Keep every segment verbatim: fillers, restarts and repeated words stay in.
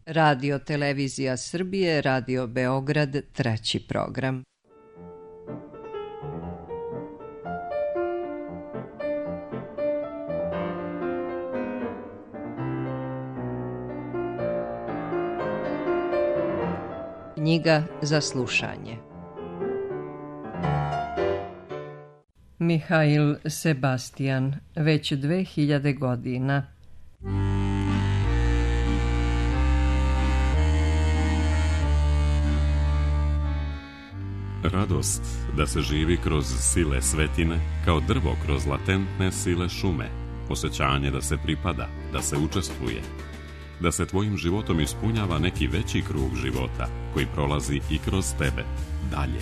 Radio Televizija Srbije, Radio Beograd, treći program. Knjiga za slušanje. Mihail Sebastian, već dve hiljade godina. Radost da se živi kroz sile svetine, kao drvo kroz latentne sile šume. Osjećanje da se pripada, da se učestvuje, da se tvojim životom ispunjava neki veći krug života koji prolazi i kroz tebe, dalje,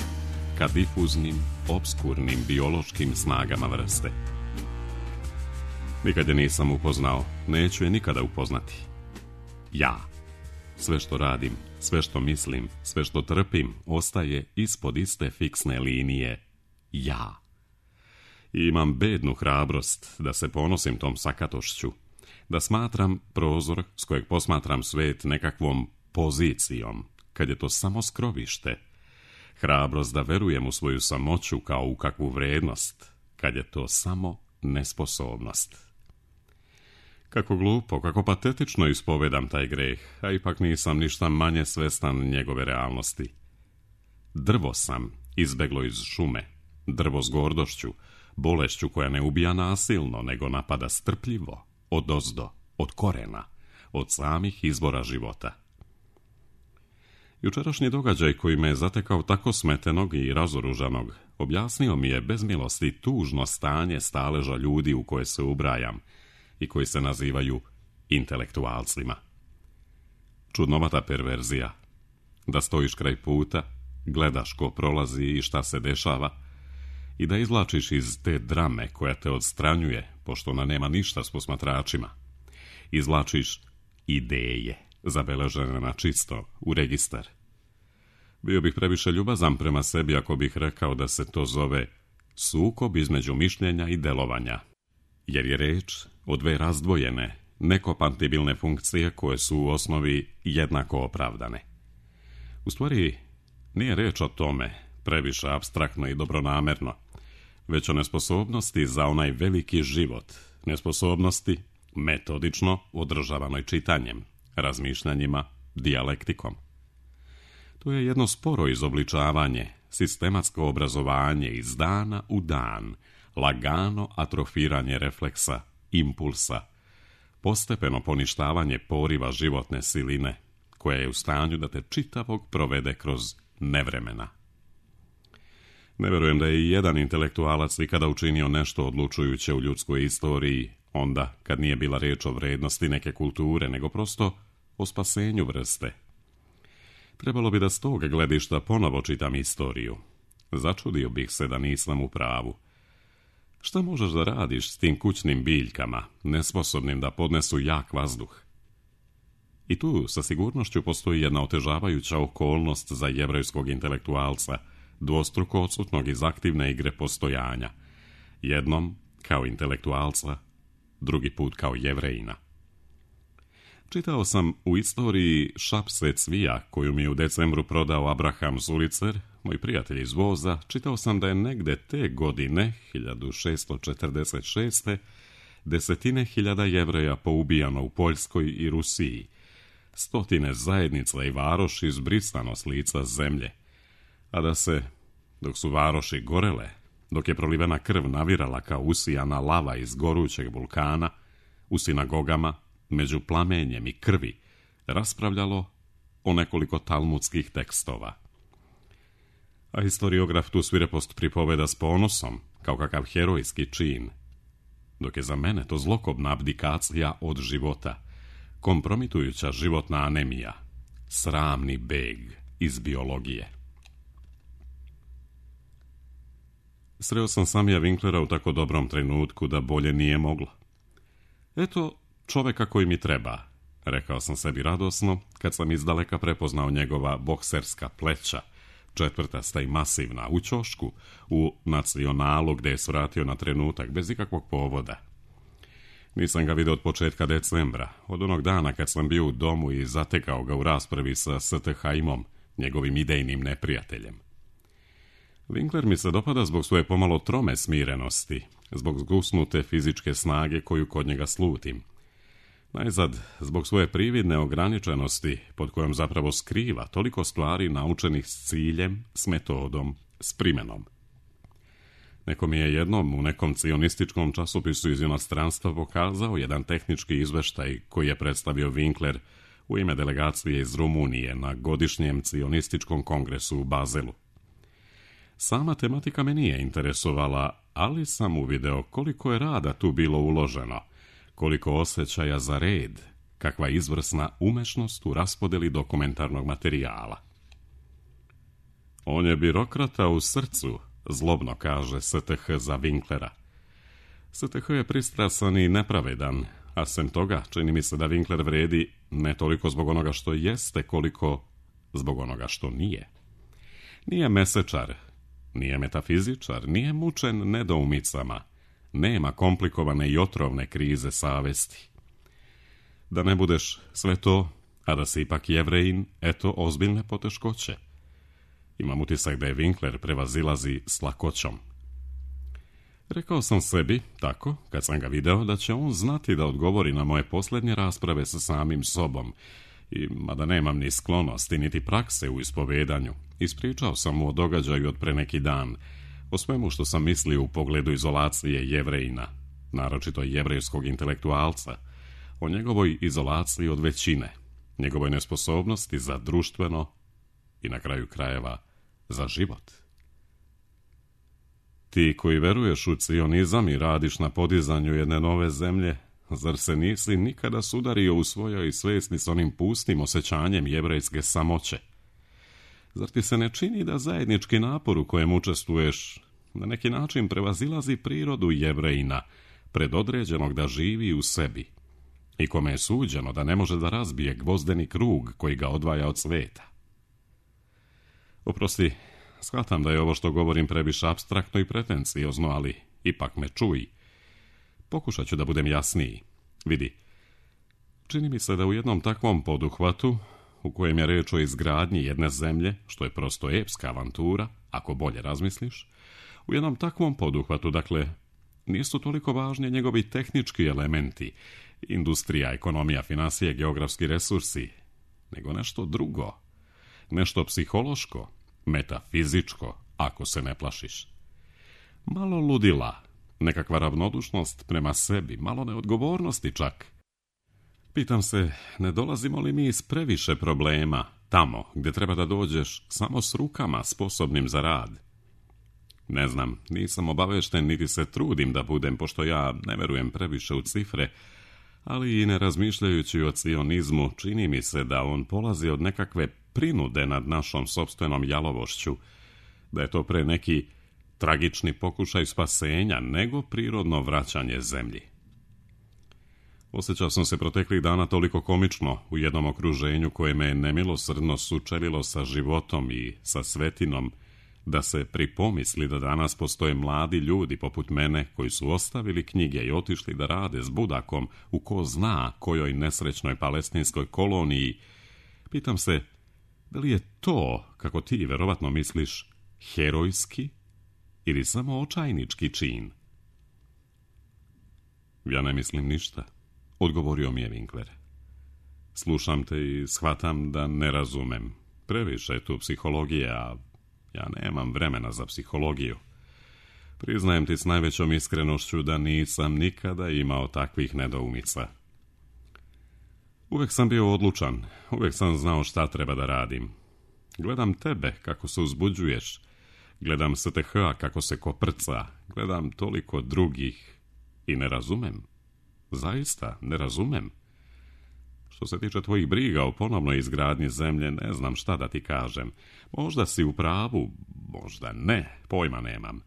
ka difuznim, obskurnim biološkim snagama vrste. Nikad je nisam upoznao, neću je nikada upoznati. Ja. Sve što radim, sve što mislim, sve što trpim, ostaje ispod iste fiksne linije. Ja. I imam bednu hrabrost da se ponosim tom sakatošću, da smatram prozor s kojeg posmatram svet nekakvom pozicijom, kad je to samo skrovište. Hrabrost da verujem u svoju samoću kao u kakvu vrednost, kad je to samo nesposobnost. Kako glupo, kako patetično ispovedam taj greh, a ipak nisam ništa manje svestan njegove realnosti. Drvo sam, izbeglo iz šume, drvo s gordošću, bolešću koja ne ubija nasilno, nego napada strpljivo, odozdo, od korena, od samih izvora života. Jučerašnji događaj koji me je zatekao tako smetenog i razoružanog, objasnio mi je bez milosti tužno stanje staleža ljudi u koje se ubrajam i koji se nazivaju intelektualcima. Čudnovata perverzija. Da stojiš kraj puta, gledaš ko prolazi i šta se dešava i da izvlačiš iz te drame koja te odstranjuje, pošto ona nema ništa s posmatračima. Izvlačiš ideje, zabeležene na čisto, u registar. Bio bih previše ljubazan prema sebi ako bih rekao da se to zove sukob između mišljenja i delovanja, jer je reč o dve razdvojene, nekompatibilne funkcije koje su u osnovi jednako opravdane. U stvari, nije reč o tome, previše apstraktno i dobronamerno, već o nesposobnosti za onaj veliki život, nesposobnosti metodično održavanoj čitanjem, razmišljanjima, dijalektikom. To je jedno sporo izobličavanje, sistematsko obrazovanje iz dana u dan, lagano atrofiranje refleksa, impulsa, postepeno poništavanje poriva životne siline, koja je u stanju da te čitavog provede kroz nevremena. Ne verujem da je i jedan intelektualac ikada učinio nešto odlučujuće u ljudskoj istoriji, onda kad nije bila riječ o vrednosti neke kulture, nego prosto o spasenju vrste. Trebalo bi da s tog gledišta ponovo čitam istoriju. Začudio bih se da nisam u pravu. Šta možeš da radiš s tim kućnim biljkama, nesposobnim da podnesu jak vazduh? I tu sa sigurnošću postoji jedna otežavajuća okolnost za jevrejskog intelektualca, dvostruko odsutnog iz aktivne igre postojanja. Jednom kao intelektualca, drugi put kao jevrejina. Čitao sam u istoriji šapse cvija koju mi je u decembru prodao Abraham Zulicer, moj prijatelj iz voza. Čitao sam da je negde te godine, hiljadu šeststo četrdeset šeste. desetine hiljada Jevreja poubijano u Poljskoj i Rusiji, stotine zajednica i varoši izbrisano s lica zemlje, a da se, dok su varoši gorele, dok je prolivena krv navirala kao usijana lava iz gorućeg vulkana, u sinagogama, među plamenjem i krvi, raspravljalo o nekoliko talmudskih tekstova. A historiograf tu svirepost pripoveda s ponosom, kao kakav herojski čin, dok je za mene to zlokobna abdikacija od života, kompromitujuća životna anemija, sramni beg iz biologije. Sreo sam Samija Winklera u tako dobrom trenutku da bolje nije moglo. Eto čoveka koji mi treba, rekao sam sebi radosno, kad sam izdaleka prepoznao njegova bokserska pleća, četvrtasta i masivna, u ćošku, u Nacionalu, gde je svratio na trenutak, bez ikakvog povoda. Nisam ga vidio od početka decembra, od onog dana kad sam bio u domu i zatekao ga u raspravi sa S T Haimom, njegovim idejnim neprijateljem. Winkler mi se dopada zbog svoje pomalo trome smirenosti, zbog zgusnute fizičke snage koju kod njega slutim. Najzad, zbog svoje prividne ograničenosti, pod kojom zapravo skriva toliko stvari naučenih s ciljem, s metodom, s primenom. Neko mi je jednom u nekom cionističkom časopisu iz inostranstva pokazao jedan tehnički izveštaj koji je predstavio Winkler u ime delegacije iz Rumunije na godišnjem cionističkom kongresu u Bazelu. Sama tematika me nije interesovala, ali sam uvideo koliko je rada tu bilo uloženo, koliko osjećaja za red, kakva izvrsna umešnost u raspodeli dokumentarnog materijala. On je birokrata u srcu, zlobno kaže S T H za Winklera. S T H je pristrasan i nepravedan, a sem toga čini mi se da Winkler vredi ne toliko zbog onoga što jeste, koliko zbog onoga što nije. Nije mesečar, nije metafizičar, nije mučen nedoumicama, nema komplikovane i otrovne krize savesti. Da ne budeš sve to, a da si ipak Jevrejin, eto ozbiljne poteškoće. Imam utisak da je Winkler prevazilazi s lakoćom. Rekao sam sebi, tako, kad sam ga video, da će on znati da odgovori na moje posljednje rasprave sa samim sobom, i mada nemam ni sklonosti, niti prakse u ispovedanju, ispričao sam mu o događaju od pre neki dan, o svemu što sam mislio u pogledu izolacije Jevrejina, naročito jevrejskog intelektualca, o njegovoj izolaciji od većine, njegovoj nesposobnosti za društveno i na kraju krajeva za život. Ti koji veruješ u cionizam i radiš na podizanju jedne nove zemlje, zar se nisi nikada sudario u svojoj svesni s onim pustim osjećanjem jevrejske samoće? Zar ti se ne čini da zajednički napor u kojem učestvuješ na neki način prevazilazi prirodu Jevrejina, predodređenog da živi u sebi, i kome je suđeno da ne može da razbije gvozdeni krug koji ga odvaja od sveta? Oprosti, shvatam da je ovo što govorim previše apstraktno i pretenciozno, ali ipak me čuj. Pokušat ću da budem jasniji. Vidi, čini mi se da u jednom takvom poduhvatu, u kojem je reč o izgradnji jedne zemlje, što je prosto epska avantura, ako bolje razmisliš, u jednom takvom poduhvatu, dakle, nisu toliko važni njegovi tehnički elementi, industrija, ekonomija, finansije, geografski resursi, nego nešto drugo, nešto psihološko, metafizičko, ako se ne plašiš. Malo ludila, nekakva ravnodušnost prema sebi, malo neodgovornosti čak. Pitam se, ne dolazimo li mi iz previše problema, tamo gdje treba da dođeš samo s rukama sposobnim za rad? Ne znam, nisam obavešten niti se trudim da budem, pošto ja ne verujem previše u cifre, ali i ne razmišljajući o cionizmu, čini mi se da on polazi od nekakve prinude nad našom sopstvenom jalovošću, da je to pre neki tragični pokušaj spasenja nego prirodno vraćanje zemlji. Osjećao sam se proteklih dana toliko komično u jednom okruženju koje me nemilosrdno sučelilo sa životom i sa svetinom, da se pripomisli da danas postoje mladi ljudi poput mene koji su ostavili knjige i otišli da rade s budakom u ko zna kojoj nesrećnoj palestinskoj koloniji. Pitam se, da li je to, kako ti verovatno misliš, herojski ili samo očajnički čin? Ja ne mislim ništa, odgovorio mi je Winkler. Slušam te i shvatam da ne razumem. Previše je tu psihologije, a ja nemam vremena za psihologiju. Priznajem ti s najvećom iskrenošću da nisam nikada imao takvih nedoumica. Uvek sam bio odlučan, uvek sam znao šta treba da radim. Gledam tebe kako se uzbuđuješ, gledam S T H kako se koprca, gledam toliko drugih i ne razumem. Zaista, ne razumem. Što se tiče tvojih briga o ponovnoj izgradnji zemlje, ne znam šta da ti kažem. Možda si u pravu, možda ne, pojma nemam.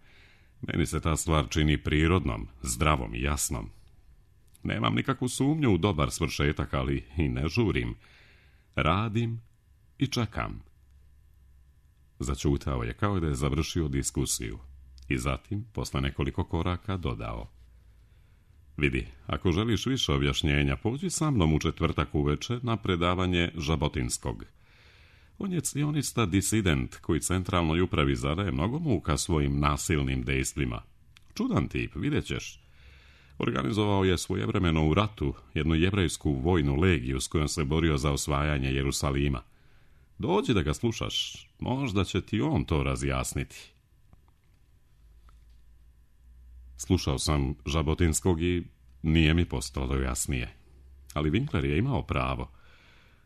Meni se ta stvar čini prirodnom, zdravom i jasnom. Nemam nikakvu sumnju u dobar svršetak, ali i ne žurim. Radim i čekam. Začutao je kao da je završio diskusiju i zatim, posle nekoliko koraka, dodao: Vidi, ako želiš više objašnjenja, pođi sa mnom u četvrtak uveče na predavanje Žabotinskog. On je cionista disident koji centralnoj upravi zadaje mnogo muka svojim nasilnim dejstvima. Čudan tip, vidjet ćeš. Organizovao je svojevremeno u ratu jednu jevrejsku vojnu legiju s kojom se borio za osvajanje Jerusalima. Dođi da ga slušaš, možda će ti on to razjasniti. Slušao sam Žabotinskog i nije mi postalo jasnije. Ali Winkler je imao pravo.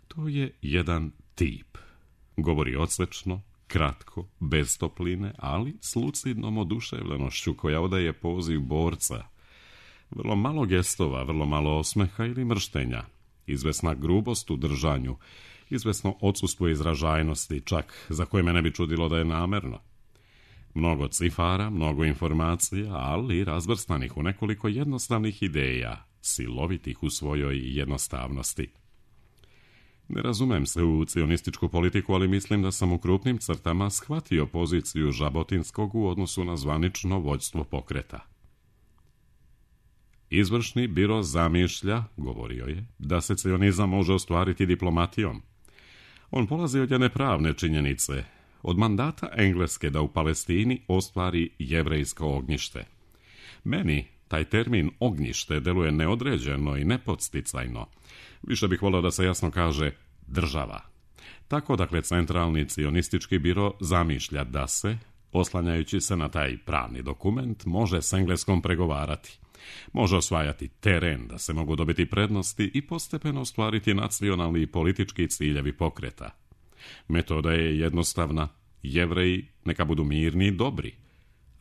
To je jedan tip. Govori odsječno, kratko, bez topline, ali s lucidnom oduševljenošću koja odaje poziv borca. Vrlo malo gestova, vrlo malo osmeha ili mrštenja. Izvesna grubost u držanju, izvesno odsustvo izražajnosti, čak za koje me ne bi čudilo da je namerno. Mnogo cifara, mnogo informacija, ali razvrstanih u nekoliko jednostavnih ideja, silovitih u svojoj jednostavnosti. Ne razumem se u cionističku politiku, ali mislim da sam u krupnim crtama shvatio poziciju Žabotinskog u odnosu na zvanično vođstvo pokreta. Izvršni biro zamišlja, govorio je, da se cionizam može ostvariti diplomatijom. On polazi od jedne pravne činjenice, od mandata Engleske da u Palestini ostvari jevrejsko ognjište. Meni taj termin ognjište deluje neodređeno i nepodsticajno. Više bih volio da se jasno kaže država. Tako dakle centralni cionistički biro zamišlja da se, oslanjajući se na taj pravni dokument, može s Engleskom pregovarati. Može osvajati teren da se mogu dobiti prednosti i postepeno ostvariti nacionalni i politički ciljevi pokreta. Metoda je jednostavna. Jevreji neka budu mirni i dobri,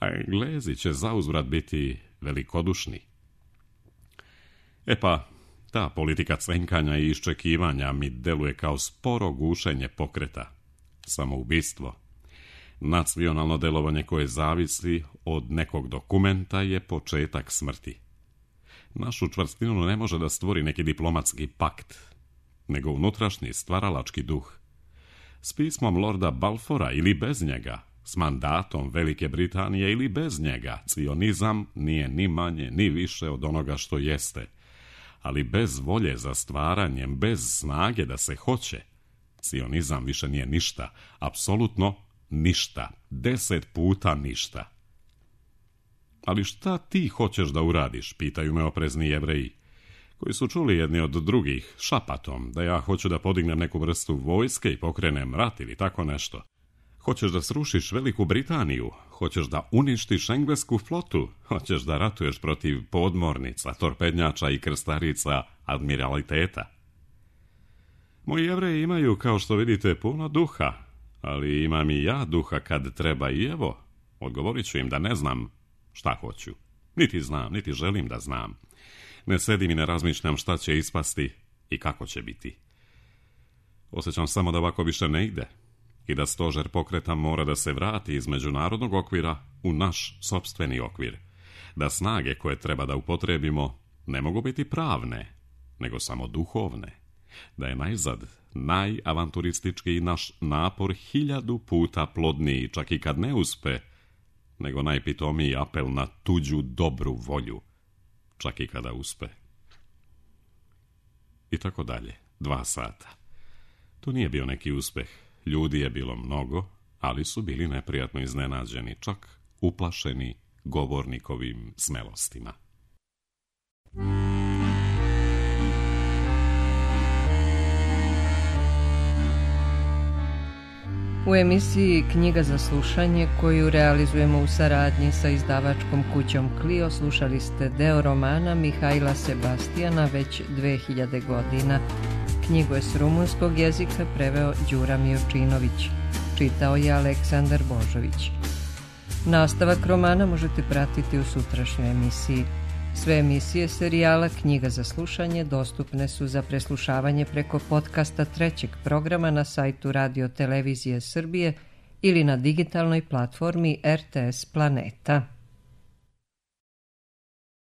a Englezi će zauzvrat biti velikodušni. E pa, ta politika cenkanja i iščekivanja mi deluje kao sporo gušenje pokreta. Samoubistvo. Nacionalno delovanje koje zavisi od nekog dokumenta je početak smrti. Našu čvrstinu ne može da stvori neki diplomatski pakt, nego unutrašnji stvaralački duh. S pismom Lorda Balfoura ili bez njega, s mandatom Velike Britanije ili bez njega, cionizam nije ni manje ni više od onoga što jeste. Ali bez volje za stvaranjem, bez snage da se hoće, cionizam više nije ništa, apsolutno ništa, deset puta ništa. Ali šta ti hoćeš da uradiš, pitaju me oprezni Jevreji, koji su čuli jedni od drugih šapatom da ja hoću da podignem neku vrstu vojske i pokrenem rat ili tako nešto. Hoćeš da srušiš Veliku Britaniju, hoćeš da uništiš englesku flotu, hoćeš da ratuješ protiv podmornica, torpednjača i krstarica admiraliteta. Moji Jevreji imaju, kao što vidite, puno duha, ali imam i ja duha kad treba i evo, odgovorit ću im da ne znam šta hoću. Niti znam, niti želim da znam. Ne sedim i ne razmišljam šta će ispasti i kako će biti. Osjećam samo da ovako više ne ide i da stožer pokreta mora da se vrati iz međunarodnog okvira u naš sopstveni okvir. Da snage koje treba da upotrebimo ne mogu biti pravne, nego samo duhovne. Da je najzad najavanturistički naš napor hiljadu puta plodniji, čak i kad ne uspe, nego najpitomiji apel na tuđu dobru volju, čak i kada uspe. I tako dalje, dva sata. To nije bio neki uspeh. Ljudi je bilo mnogo, ali su bili neprijatno iznenađeni, čak uplašeni govornikovim smelostima. U emisiji Knjiga za slušanje, koju realizujemo u saradnji sa izdavačkom kućom Clio, slušali ste deo romana Mihajla Sebastijana već dve hiljade godina. Knjigu je s rumunskog jezika preveo Đura Miočinović. Čitao je Aleksandar Božović. Nastavak romana možete pratiti u sutrašnjoj emisiji. Sve emisije serijala Knjiga za slušanje dostupne su za preslušavanje preko podcasta trećeg programa na sajtu Radio Televizije Srbije ili na digitalnoj platformi R T S Planeta.